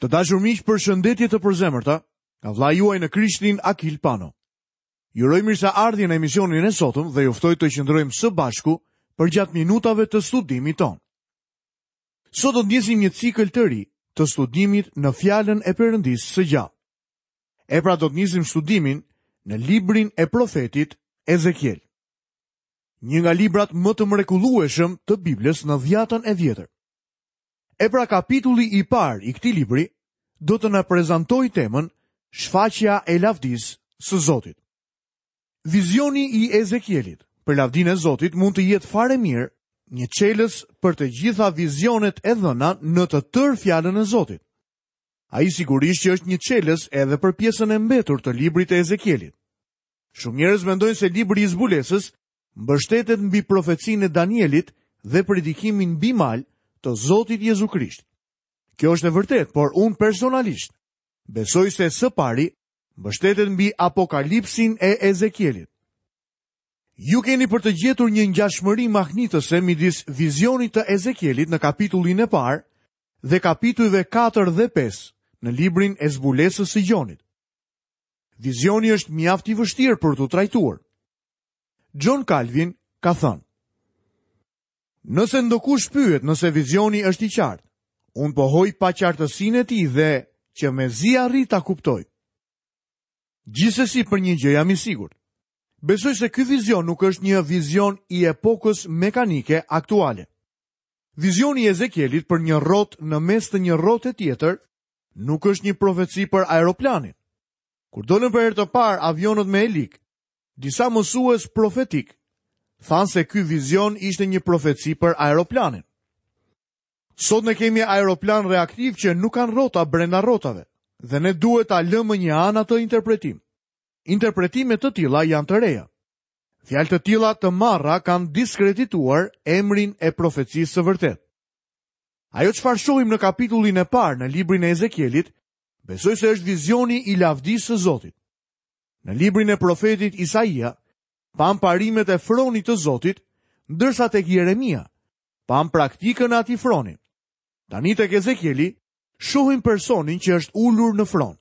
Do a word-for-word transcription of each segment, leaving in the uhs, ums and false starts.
Të dashur miq, përshëndetje të përzemërta nga vëllai juaj në Krishtin Akil Pano. Ju uroj mirëseardhjen në emisionin e sotëm dhe ju ftoj të qëndrojmë së bashku përgjatë minutave të studimit tonë. Sot do të nisim një cikël të ri të studimit në fjalën e Perëndisë së gjallë. E pra do të nisim studimin në librin e profetit Ezekiel. Një nga librat më të mrekullueshëm të Biblës në dhjatën e vjetër. E pra kapitulli i parë i këtij libri do të na prezantojë temën Shfaqja e lavdisë së Zotit. Vizioni i Ezekielit për lavdinë e Zotit mund të jetë fare mirë një çelës për të gjitha vizionet e dhëna në të tërë fjalën e Zotit. Ai sigurisht që është një çelës edhe për pjesën e mbetur të librit të Ezekielit. Shumë njerëz mendojnë se libri i zbulesës mbështetet mbi profecinë e Danielit dhe predikimin mbi mal të Zotit Jezu Krisht. Kjo është e vërtetë, por unë personalisht besoj se së pari mbështetet mbi apokalipsin e Ezekielit. Ju keni për të gjetur një ngjashmëri mahnitëse midis vizionit të Ezekielit në kapitullin e parë dhe kapitujve katër dhe pesë në librin e zbulesës së Gjonit. Vizioni është mjaft i vështirë për t'u trajtuar. John Calvin ka thënë: Nëse ndokush pyet nëse vizioni është i qartë, unë pohoj paqartësinë e tij dhe që mezi arrit ta kuptoj. Gjithsesi për një gjë jam i sigurt. Besoj se ky vizion nuk është një vizion i epokës mekanike aktuale. Vizioni i Ezekielit për një rrotë në mes të një rrote tjetër nuk është një profeci për aeroplanin. Kur dolën për herë të parë avionët me helik, disa mësues profetik thanë se ky vizion ishte një profeci për aeroplanin. Sot ne kemi aeroplan reaktiv që nuk kanë rrota brenda rrotave, dhe ne duhet ta lëmë një anë atë interpretim. Interpretime të tilla janë të reja. Fjalë të tilla të marra kanë diskredituar emrin e profecisë së vërtetë. Ajo çfarë shohim në kapitullin e parë në librin e Ezekielit, besoj se është vizioni i lavdisë së Zotit. Në librin e profetit Isaia, pam parimet e fronit të Zotit, ndërsa tek Jeremia, pam praktikën e atij froni. Tani tek Ezekieli, shohim personin që është ulur në fron.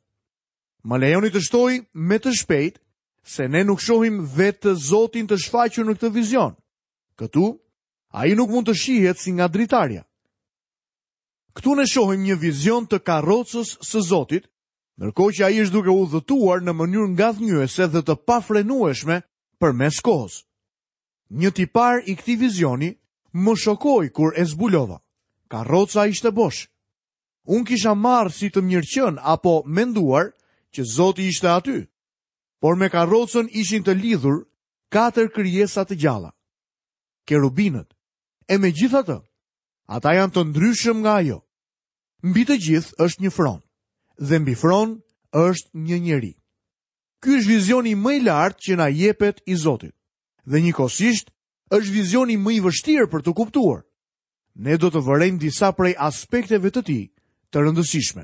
Më lejoni të shtoj me të shpejt se ne nuk shohim vetë Zotin të shfaqur në këtë vizion. Këtu, ai nuk mund të shihet si nga dritarja. Këtu ne shohim një vizion të karrocës së Zotit, ndërkohë që ai është duke udhëtuar në mënyrë ngadhnjyese dhe të pafrenueshme përmes kohës. Një tipar i këtij vizioni më shokoi kur e zbulova. Karroca ishte bosh. Unë kisha marrë si të mirëqen apo menduar që Zoti ishte aty, por me karrocën ishin të lidhur katër krijesa të gjalla, kerubinët. E megjithatë, ata janë të ndryshëm nga ajo. Mbi të gjithë është një fron, dhe mbi fron është një njeri. Ky është vizioni më i lartë që na jepet i Zotit, dhe njëkohësisht është vizioni më i vështirë për të kuptuar. Ne do të vërejmë disa prej aspekteve të tij të rëndësishme.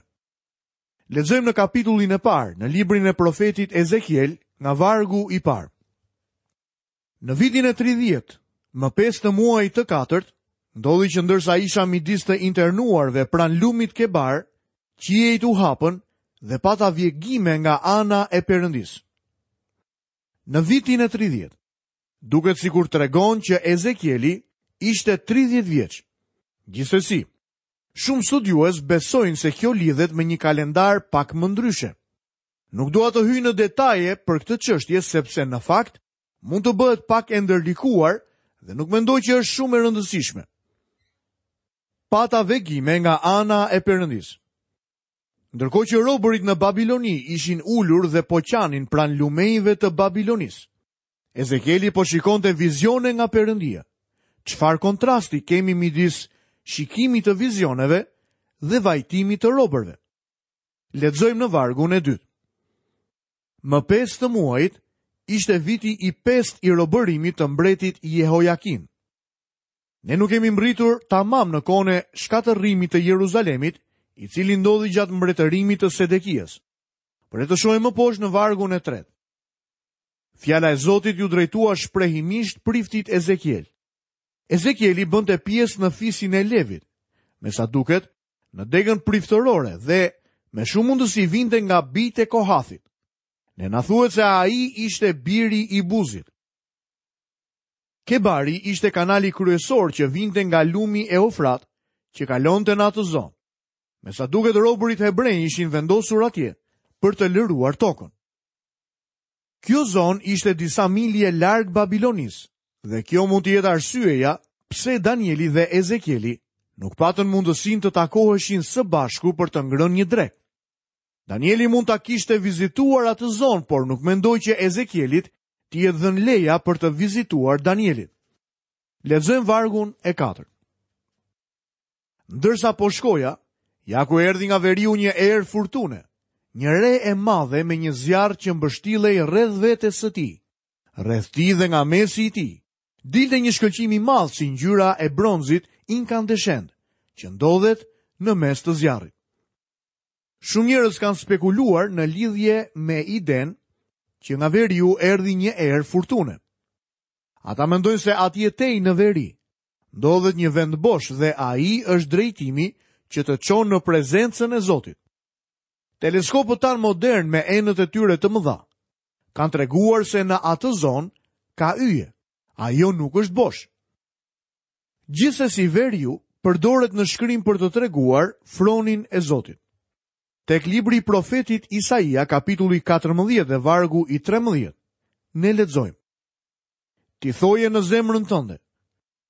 Lexojmë në kapitullin e parë, në librin e profetit Ezekiel, nga vargu i parë. Në vitin e tridhjetë, më pesë të muajit të katërt, ndodhi që ndërsa isha midis të internuarve pranë lumit Kebar, qiejt u hapën dhe pata vjegime nga ana e Perëndisë. Në vitin e tridhjetë, duket sikur tregon që Ezekieli ishte tridhjetë vjeç. Gjithsesi, shumë studiues besojnë se kjo lidhet me një kalendar pak më ndryshe. Nuk dua të hyj në detaje për këtë çështje sepse në fakt mund të bëhet pak e ndërlikuar dhe nuk mendoj që është shumë e rëndësishme. Pata vegime nga ana e Perëndisë. Ndërkohë që robërit në Babiloni ishin ulur dhe po qanin pranë lumenjve të Babilonisë, Ezekieli po shikonte vizione nga Perëndia. Çfarë kontrasti kemi midis shikimit të vizioneve dhe vajtimit të robërve? Lexojmë në vargun e dytë. Më pesë të muajit ishte viti i pestë i robërimit të mbretit Jehojakim. Ne nuk kemi mbritur tamam në kohën e shkatërrimit të Jeruzalemit, i cili ndodhi gjatë mbretërimit të Sedekias. Por le të shohim më poshtë në vargun e tretë. Fjala e Zotit ju drejtua shprehimisht priftit Ezekiel. Ezekieli bënte pjesë në fisin e Levit, me sa duket, në degën priftërore dhe me shumë mundësi vinte nga bijtë e Kohathit. Ne na thuhet se ai ishte biri i Buzit. Kebari ishte kanali kryesor që vinte nga lumi Eufrat, që kalonte në atë zonë. Me sa duket robërit hebrenj ishin vendosur atje për të lëruar tokën. Kjo zonë ishte disa milje larg Babilonisë, dhe kjo mund të jetë arsyeja pse Danieli dhe Ezekieli nuk patën mundësinë të takoheshin së bashku për të ngrënë një drekë. Danieli mund ta kishte vizituar atë zonë, por nuk mendoj që Ezekielit t'i jetë dhënë leja për të vizituar Danielin. Lexojmë vargun e katërt. Ndërsa po shkoja, ja ku erdhi nga veriu një erë furtune, një re e madhe me një zjarr që mbështillej rreth vetes së tij, rreth tij dhe nga mesi i tij. Dilte një shkëlqim i madh si ngjyra e bronzit inkandeshent, që ndodhet në mes të zjarrit. Shumë njerëz kanë spekuluar në lidhje me idenë që nga veriu erdhi një erë furtune. Ata mendojnë se atje tej në veri ndodhet një vend bosh dhe ai është drejtimi që të çon në prezencën e Zotit. Teleskopët tanë modern me enët e tyre të mëdha kanë treguar se në atë zonë ka yje. Ajo nuk është bosh. Gjithsesi veriu përdoret në shkrim për të treguar fronin e Zotit. Tek libri i profetit Isaia, kapitulli katërmbëdhjetë dhe vargu i trembëdhjetë, ne lexojmë: Ti thoje në zemrën tënde,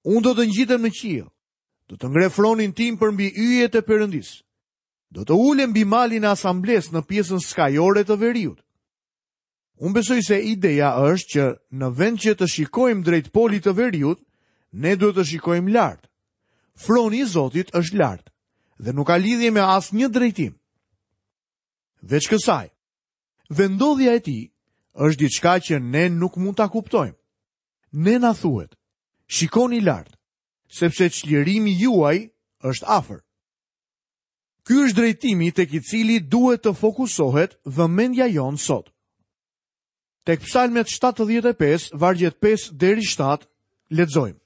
unë do të ngjitem në qiell, do të ngre fronin tim përmbi yjet e Perëndisë, do të ulem mbi malin e asamblesë në pjesën skajore të veriut. Unë besoj se ideja është që në vend që të shikojmë drejt polit të veriut, ne duhet të shikojmë lart. Froni i Zotit është lart dhe nuk ka lidhje me asnjë drejtim. Veç kësaj, vendodhja e tij është diçka që ne nuk mund ta kuptojmë. Ne na thuhet, shikoni lart, sepse çlirimi juaj është afër. Ky është drejtimi tek i cili duhet të fokusohet vëmendja jonë sot. Tek Psalmet shtatëdhjetë e pesë, vargjet pesë deri shtatë, lexojmë: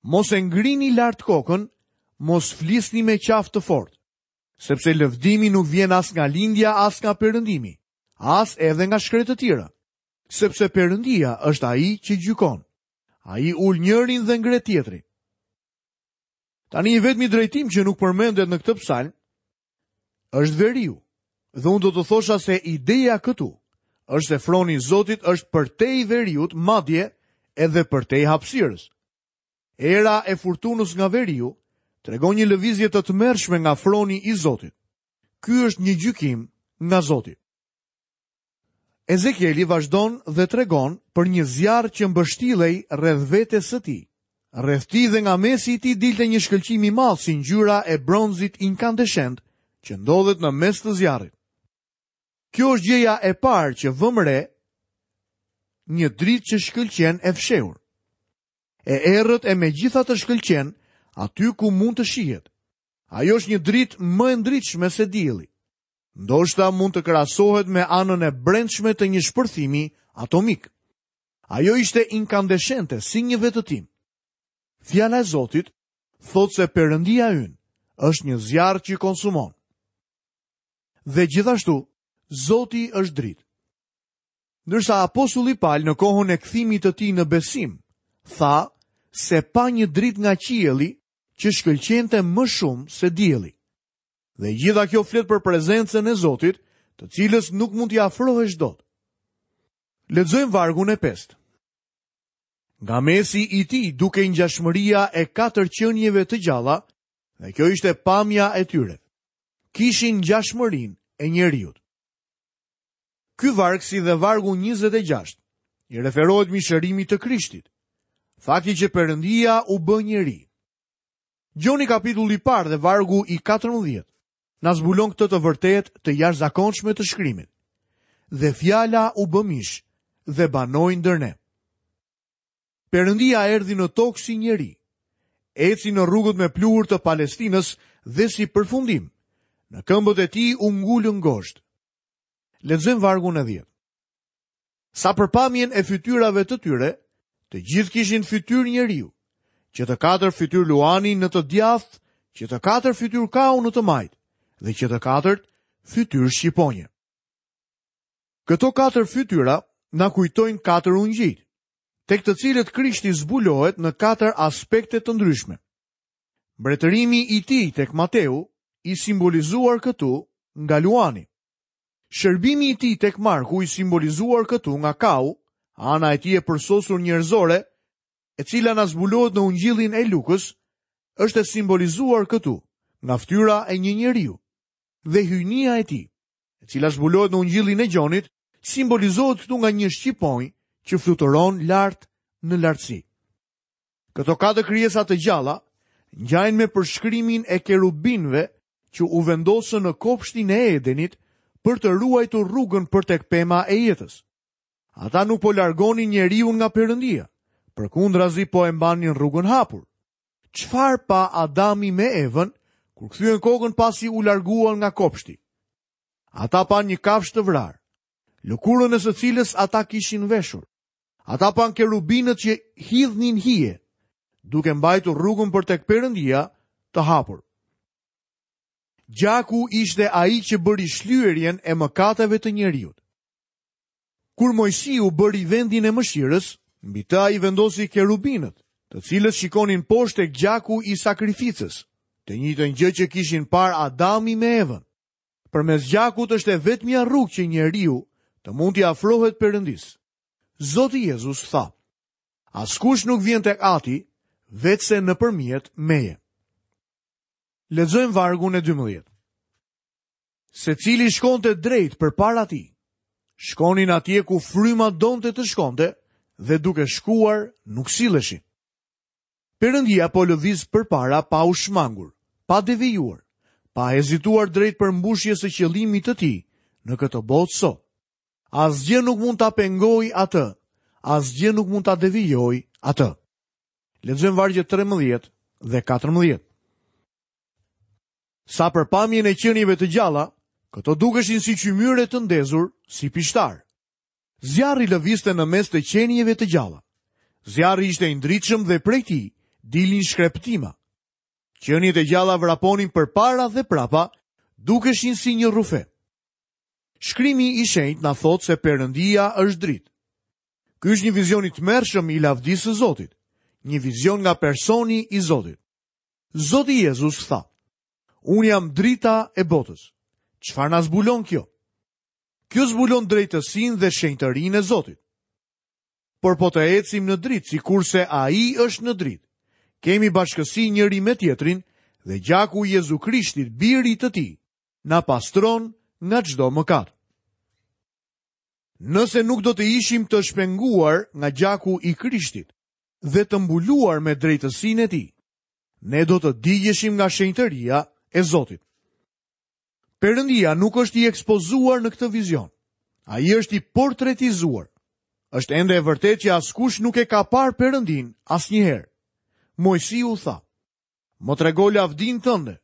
Mos e ngrini lart kokën, mos flisni me qafë të fortë, sepse lëvdimi nuk vjen as nga lindja, as nga perëndimi, as edhe nga shkretëtira, sepse Perëndia është ai që gjykon. Ai ul njërin dhe ngre tjetrin. Tani i vetmi drejtim që nuk përmendet në këtë psalm është veriu. Dhe unë do të thosha se ideja këtu është se froni i Zotit është përtej veriut, madje edhe përtej hapësirës. Era e furtunës nga veriu tregon një lëvizje të tmerrshme nga froni i Zotit. Ky është një gjykim nga Zoti. Ezekieli vazhdon dhe tregon për një zjarr që mbështillej rreth vetes së tij. Rreth tij dhe nga mesi i tij dilte një shkëlqim i madh si ngjyra e bronzit inkandeshent që ndodhet në mes të zjarrit. Kjo është gjëja e parë që vëmë re, një dritë që shkëlqen e fshehur. E errët e megjithatë shkëlqen aty ku mund të shihet. Ajo është një dritë më e ndritshme se dielli. Ndoshta mund të krahasohet me anën e brendshme të një shpërthimi atomik. Ajo ishte inkandeshente si një vetëtim. Fjala e Zotit thotë se Perëndia ynë është një zjarr që konsumon. Dhe gjithashtu, Zoti është dritë. Ndërsa apostulli Paul në kohën e kthimit të tij në besim, tha se pa një dritë nga qielli që shkëlqente më shumë se dielli. Dhe gjitha kjo flet për prezencën e Zotit, të cilës nuk mund t'i afrohesh dot. Lexojmë vargun e pestë. Nga mesi i tij dukej ngjashmëria e katër qenieve të gjalla, dhe kjo ishte pamja e tyre. Kishin ngjashmërinë e njeriut. Ky varg si dhe vargu njëzet e gjashtë i referohet mishërimit të Krishtit, fakti që Perëndia u bë njeri. Gjoni kapitulli i parë dhe vargu i katërmbëdhjetë na zbulon këtë të vërtetë të jashtëzakonshme të shkrimit. Dhe fjala u bë mish dhe banoi ndër ne. Perëndia erdhi në tokë si njeri, eci në rrugët me pluhur të Palestinës dhe si përfundim, në këmbët e tij u ngulën gozhd. Lexojmë vargun e dhjetë. Sa për pamjen e fytyrave të tyre, të gjithë kishin fytyrë njeriu, që të katër fytyrë luani në të djathtë, që të katër fytyrë kau në të majtë, dhe që të katërt fytyrë shqiponje. Këto katër fytyra na kujtojnë katër ungjijt, tek të cilët Krishti zbulohet në katër aspekte të ndryshme. Mbretërimi i tij tek Mateu i simbolizuar këtu nga Luani. Shërbimi i tij tek Marku i simbolizuar këtu nga Kau, ana e tij e përsosur njerëzore, e cila na zbulohet në Ungjillin e Lukës, është e simbolizuar këtu nga fytyra e një njeriu. Dhe hyjnia e tij, e cila zbulohet në Ungjillin e Gjonit, simbolizohet këtu nga një shqiponjë që fluturon lart në lartësi. Këto katër krijesa të gjalla ngjajnë me përshkrimin e kerubinëve që u vendosën në kopshtin e Edenit për të ruajtur rrugën për tek pema e jetës. Ata nuk po largonin njeriu nga Perëndia, përkundrazi po e mbanin rrugën hapur. Çfarë pa Adami me Evën kur kthyen kokën pasi u larguan nga kopshti? Ata panë një kafshë të vrarë, lëkurën e së cilës ata kishin veshur. Ata panë kerubinët që hidhnin hije, duke mbajtur rrugën për tek Perëndia të hapur. Gjaku ishte ai që bëri shlyerjen e mëkateve të njeriut. Kur Mojsiu bëri vendin e mëshirës, mbi të ai vendosi kerubinët, të cilët shikonin poshtë tek gjaku i sakrificës, të njëjtën gjë që kishin parë Adami me Evën. Përmes gjakut është e vetmja rrugë që njeriu të mund t'i afrohet Perëndisë. Zoti Jezus tha: Askush nuk vjen tek Ati veçse nëpërmjet meje. Lexojmë vargun e dymbëdhjetë. Secili shkonte drejt përpara tij. Shkonin atje ku fryma donte të shkonte dhe duke shkuar nuk silleshin. Perëndia po lëviz përpara pa u shmangur, pa devijuar, pa hezituar drejt përmbushjes së qëllimit të tij në këtë botë sot. Asgjë nuk mund ta pengojë atë, asgjë nuk mund ta devijojë atë. Lexojmë vargjet trembëdhjetë dhe katërmbëdhjetë. Sa për pamjen e qenieve të gjalla, këto dukeshin si qymyre të ndezur, si pishtar. Zjarri lëvizte në mes të qenieve të gjalla. Zjarri ishte i ndritshëm dhe prej tij dilnin shkreptima. Qeniet e gjalla vraponin përpara dhe prapa, dukeshin si një rrufe. Shkrimi i shenjtë na thotë se Perëndia është dritë. Ky është një vizion i tmerrshëm i lavdisë së Zotit, një vizion nga personi i Zotit. Zoti Jezus tha: Unë jam drita e botës. Çfarë na zbulon kjo? Kjo zbulon drejtësinë dhe shenjtërinë e Zotit. Por po të ecim në dritë, sikurse Ai është në dritë, kemi bashkësi njëri me tjetrin dhe gjaku i Jezu Krishtit, birit të tij, na pastron nga çdo mëkat. Nëse nuk do të ishim të shpenguar nga gjaku i Krishtit dhe të mbuluar me drejtësinë e tij, ne do të digjeshim nga shenjtëria e Zotit. Perëndia nuk është i ekspozuar në këtë vizion. Ai është i portretizuar. Është ende e vërtetë që askush nuk e ka parë Perëndin asnjëherë. Mojsiu tha: Më trego lavdinë tënde.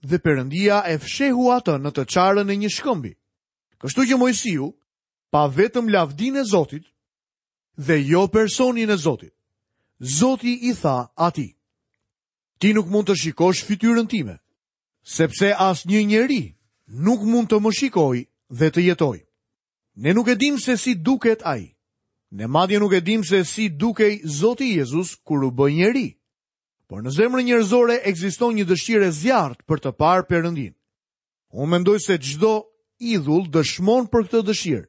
Dhe Perëndia e fshehu atë në të çarën e një shkëmbi. Kështu që Mojsiu pa vetëm lavdinë e Zotit dhe jo personin e Zotit. Zoti i tha atij: Ti nuk mund të shikosh fytyrën time, sepse asnjë njeri nuk mund të më shikojë dhe të jetojë. Ne nuk e dim se si duket ai. Ne madje nuk e dim se si dukej Zoti Jezus kur u bë njeri. Por në zemrën njerëzore ekziston një dëshirë e zjarrtë për të parë Perëndin. Unë mendoj se çdo idhull dëshmon për këtë dëshirë.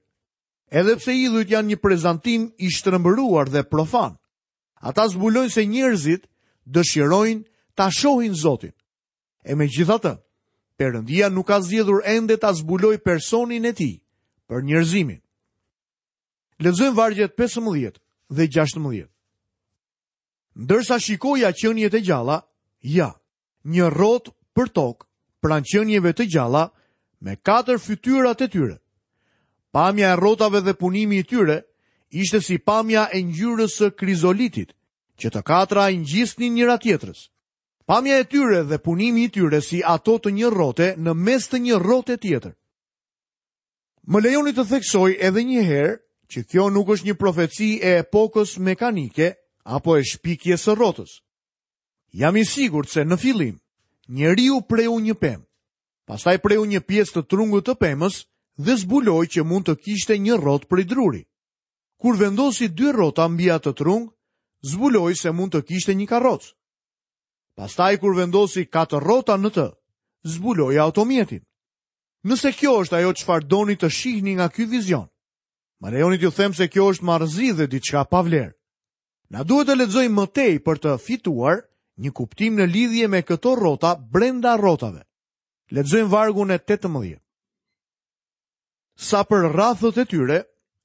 Edhe pse idhujt janë një prezantim i shtrembëruar dhe profan, ata zbulojnë se njerëzit dëshirojnë ta shohin Zotin. E megjithatë, Perëndia nuk ka zgjedhur ende ta zbulojë personin e tij për njerëzimin. Lexojmë vargjet pesëmbëdhjetë dhe gjashtëmbëdhjetë. Ndërsa shikoja qeniet e gjalla, ja, një rrotë për tokë pranë qenieve të gjalla me katër fytyrat e tyre. Pamja e rrotave dhe punimi i tyre ishte si pamja e ngjyrës së krizolitit, që të katra i ngjisnin njëra tjetrës. Pamja e tyre dhe punimi i tyre si ato të një rrote në mes të një rrote tjetër. Më lejoni të theksoj edhe një herë që kjo nuk është një profeci e epokës mekanike apo e shpikjes së rrotës. Jam i sigurt se në fillim njeriu preu një pemë, Pastaj preu një pjesë të trungut të pemës dhe zbuloi që mund të kishte një rrotë prej druri. Kur vendosi dy rrota mbi atë trung, zbuloi se mund të kishte një karrocë. Pastaj kur vendosi katër rrota në të, zbuloi automjetin. Nëse kjo është ajo çfarë doni të shihni nga ky vizion, më lejoni t'ju them se kjo është marrëzi dhe diçka pa vlerë. Na duhet të lexojmë më tej për të fituar një kuptim në lidhje me këto rrota brenda rrotave. Lexojmë vargun e tetëmbëdhjetë. Sa për rrathët e tyre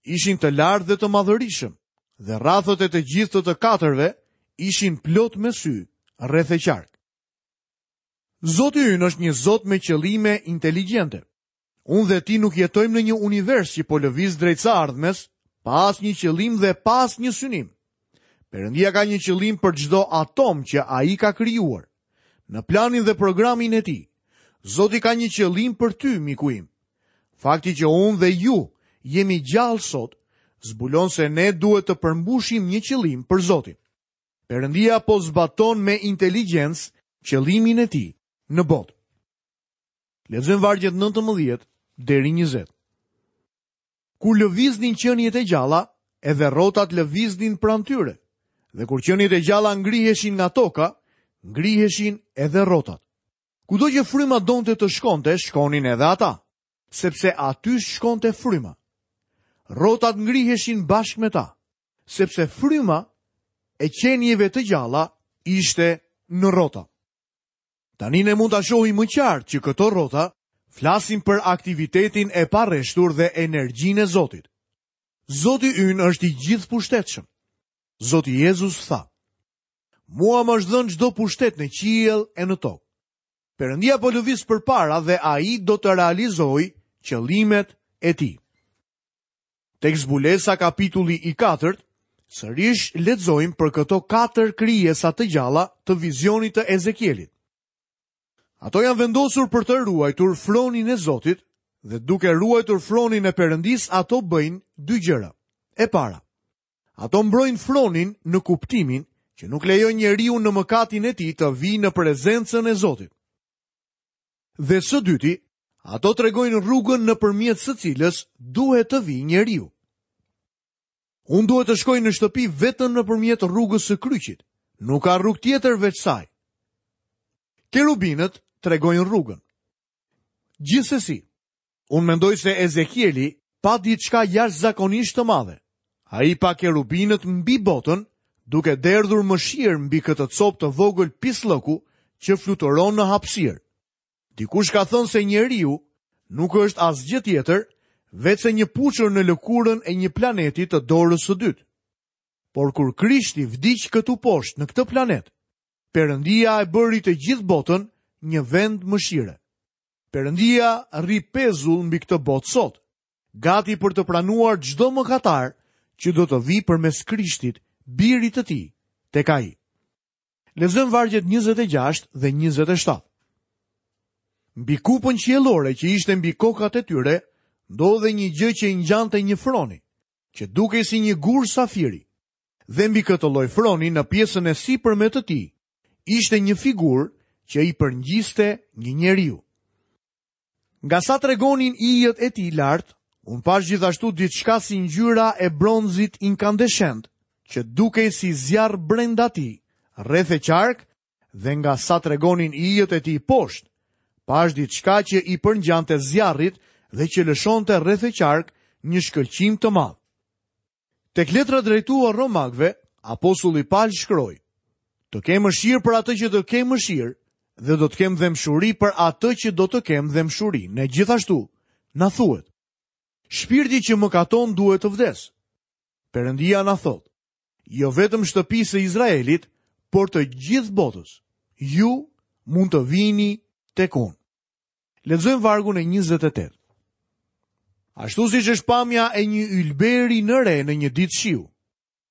ishin të lartë dhe të madhërishëm, dhe rrathët e të gjithë të të katërve ishin plot me sy, rreth e qark. Zoti ynë është një Zot me qëllime inteligjente. Unë dhe ti nuk jetojmë në një univers që po lëviz drejt së ardhmes, pa asnjë qëllim dhe pa asnjë synim. Perëndia ka një qëllim për çdo atom që ai ka krijuar. Në planin dhe programin e tij, Zoti ka një qëllim për ty, miku im. Fakti që unë dhe ju jemi gjallë sot, zbulon se ne duhet të përmbushim një qëllim për Zotin. Perëndia po zbaton me inteligjencë qëllimin e tij në botë. Lexojmë vargjet nëntëmbëdhjetë deri njëzet. Kur lëviznin qeniet e gjalla, edhe rrotat lëviznin pranë tyre, dhe kur qeniet e gjalla ngriheshin nga toka, ngriheshin edhe rrotat. Kudo që fryma donte të shkonte, shkonin edhe ata, sepse aty shkonte fryma. Rrotat ngriheshin bashkë me ta, sepse fryma e qenieve të gjalla ishte në rrota. Tani ne mund ta shohim më qartë që këto rrota flasin për aktivitetin e parreshtur dhe energjinë e Zotit. Zoti ynë është i gjithëpushtetshëm. Zoti Jezus tha: Mua më është dhënë çdo pushtet në qiell e në tokë. Perëndia po lëviz përpara dhe ai do të realizojë qëllimet e tij. Tek Zbulesa kapitulli i katërt, sërish lexojmë për këto katër krijesa të gjalla të vizionit të Ezekielit. Ato janë vendosur për të ruajtur fronin e Zotit dhe duke ruajtur fronin e Perëndisë ato bëjnë dy gjëra. E para, ato mbrojnë fronin në kuptimin që nuk lejojnë njeriu në mëkatin e tij të vijë në prezencën e Zotit. Dhe së dyti, ato tregojnë rrugën nëpërmjet së cilës duhet të vijë njeriu. Unë duhet të shkoj në shtëpi vetëm nëpërmjet rrugës së kryqit. Nuk ka rrugë tjetër veç saj. Kerubinët tregojnë rrugën. Gjithsesi, unë mendoj se Ezekieli pa diçka jashtëzakonisht të madhe. Ai pa kerubinët mbi botën, duke derdhur mëshirë mbi këtë copë të vogël pisllëku që fluturon në hapësirë. Dikush ka thënë se njeriu nuk është asgjë tjetër veç se një puçër në lëkurën e një planeti të dorës së dytë. Por kur Krishti vdiq këtu poshtë në këtë planet, Perëndia e bëri të gjithë botën një vend mëshire. Perëndia rri pezull mbi këtë botë sot, gati për të pranuar çdo mëkatar që do të vijë përmes Krishtit, birit të tij, tek ai. Lexojmë vargjet njëzet e gjashtë dhe njëzet e shtatë. Mbi kupën qiellore që ishte mbi kokat e tyre, ndodhej një gjë që i ngjante një froni, që dukej si një gur safiri. Dhe mbi këtë lloj froni në pjesën e sipërme të tij, ishte një figurë që i përngjiste një njeriu. Nga sa tregonin ijët e tij lart, unë pash gjithashtu diçka si ngjyra e bronzit inkandeshent, që dukej si zjarr brenda tij, rreth e qark, dhe nga sa tregonin ijët e tij poshtë, pash diçka që i përngjante zjarrit dhe që lëshonte rreth e qark një shkëlqim të madh. Tek letra drejtuar Romakëve, apostulli Paul shkroi: Të kem mëshirë për atë që të kem mëshirë dhe do të kem dhembshuri për atë që do të kem dhembshuri. Ne gjithashtu na thuhet: Shpirti që mëkaton duhet të vdes. Perëndia na thotë: jo vetëm shtëpisë së Izraelit, por të gjithë botës, ju mund të vini tek unë. Lexojmë vargun e njëzet e tetë. Ashtu siç është pamja e një ylberi në re në një ditë shiu,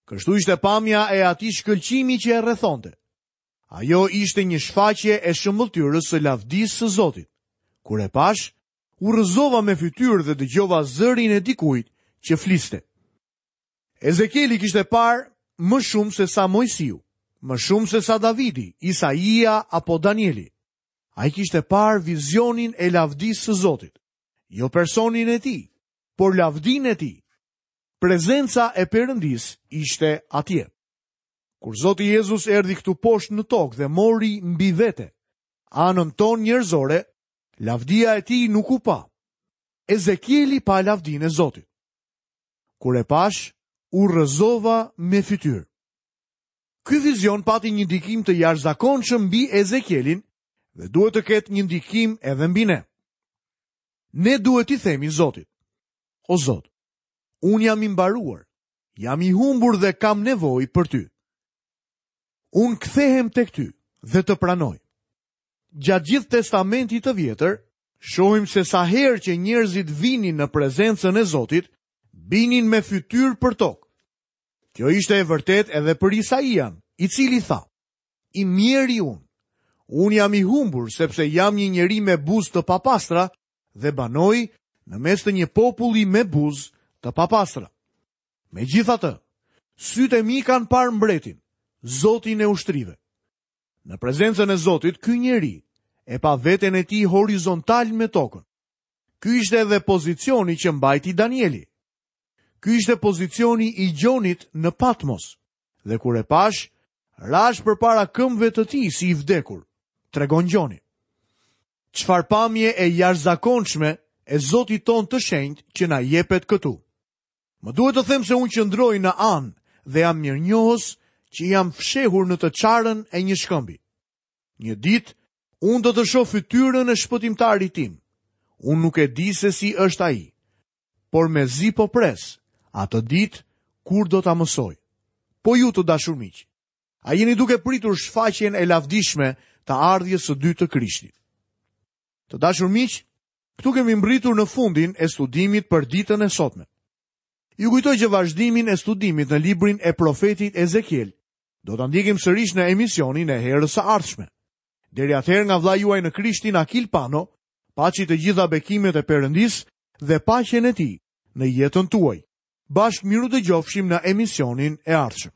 kështu ishte pamja e atij shkëlqimi që e rrethonte. Ajo ishte një shfaqje e shëmbëlltyrës së lavdisë së Zotit. Kur e pash, u rrëzova me fytyrë dhe dëgjova zërin e dikujt që fliste. Ezekieli kishte parë më shumë se sa Moisiu, më shumë se sa Davidi, Isaia apo Danieli. Ai kishte parë vizionin e lavdisë së Zotit, jo personin e tij, por lavdinë e tij. Prezenca e Perëndisë ishte atje. Kur Zoti Jezus erdhi këtu poshtë në tokë dhe mori mbi vete anën tonë njerëzore, lavdia e tij nuk u pa. Ezekieli pa lavdinë e Zotit. Kur e pash, u rrëzova me fytyrë. Ky vizion pati një ndikim të jashtëzakonshëm mbi Ezekielin dhe duhet të ketë një ndikim edhe mbi ne. Ne duhet t'i themi Zotit: O Zot, unë jam i mbaruar, jam i humbur dhe kam nevojë për ty. Unë kthehem tek ty dhe të pranoj. Gjatë gjithë testamentit të vjetër, shohim se sa herë që njerëzit vinin në prezencën e Zotit, binin me fytyrë për tokë. Kjo ishte e vërtetë edhe për Isaian, i cili tha: I mjeri unë, unë jam i humbur sepse jam një njeri me buzë të papastra dhe banoj në mes të një populli me buzë të papastra. Megjithatë, sytë e mi kanë parë mbretin, Zotin e ushtrive. Në prezencën e Zotit, ky njeri e pa veten e tij horizontal me tokën. Ky ishte edhe pozicioni që mbajti Danieli. Ky ishte pozicioni i Gjonit në Patmos. Dhe kur e pash, rash përpara këmbëve të tij si i vdekur, tregon Gjoni. Çfarë pamje e jashtëzakonshme e Zotit ton të shenjtë që na jepet këtu. Më duhet të them se unë qëndroj në anë dhe jam mirënjohës që jam fshehur në të çarën e një shkëmbi. Një ditë, unë do të shoh fytyrën e shpëtimtarit tim. Unë nuk e di se si është ai, por mezi po pres atë ditë kur do ta mësoj. Po ju, të dashur miq, a jeni duke pritur shfaqjen e lavdishme të ardhjes së dytë të Krishtit? Të dashur miq, këtu kemi mbritur në fundin e studimit për ditën e sotme. Ju kujtoj që vazhdimin e studimit në librin e profetit Ezekiel do ta ndjekim sërish në emisionin e herës së ardhshme. Deri atëherë, nga vëllai juaj në Krishtin Akil Pano, paçi të gjitha bekimet e Perëndisë dhe paqen e tij në jetën tuaj. Bashkë miru dëgjofshim në emisionin e ardhshëm.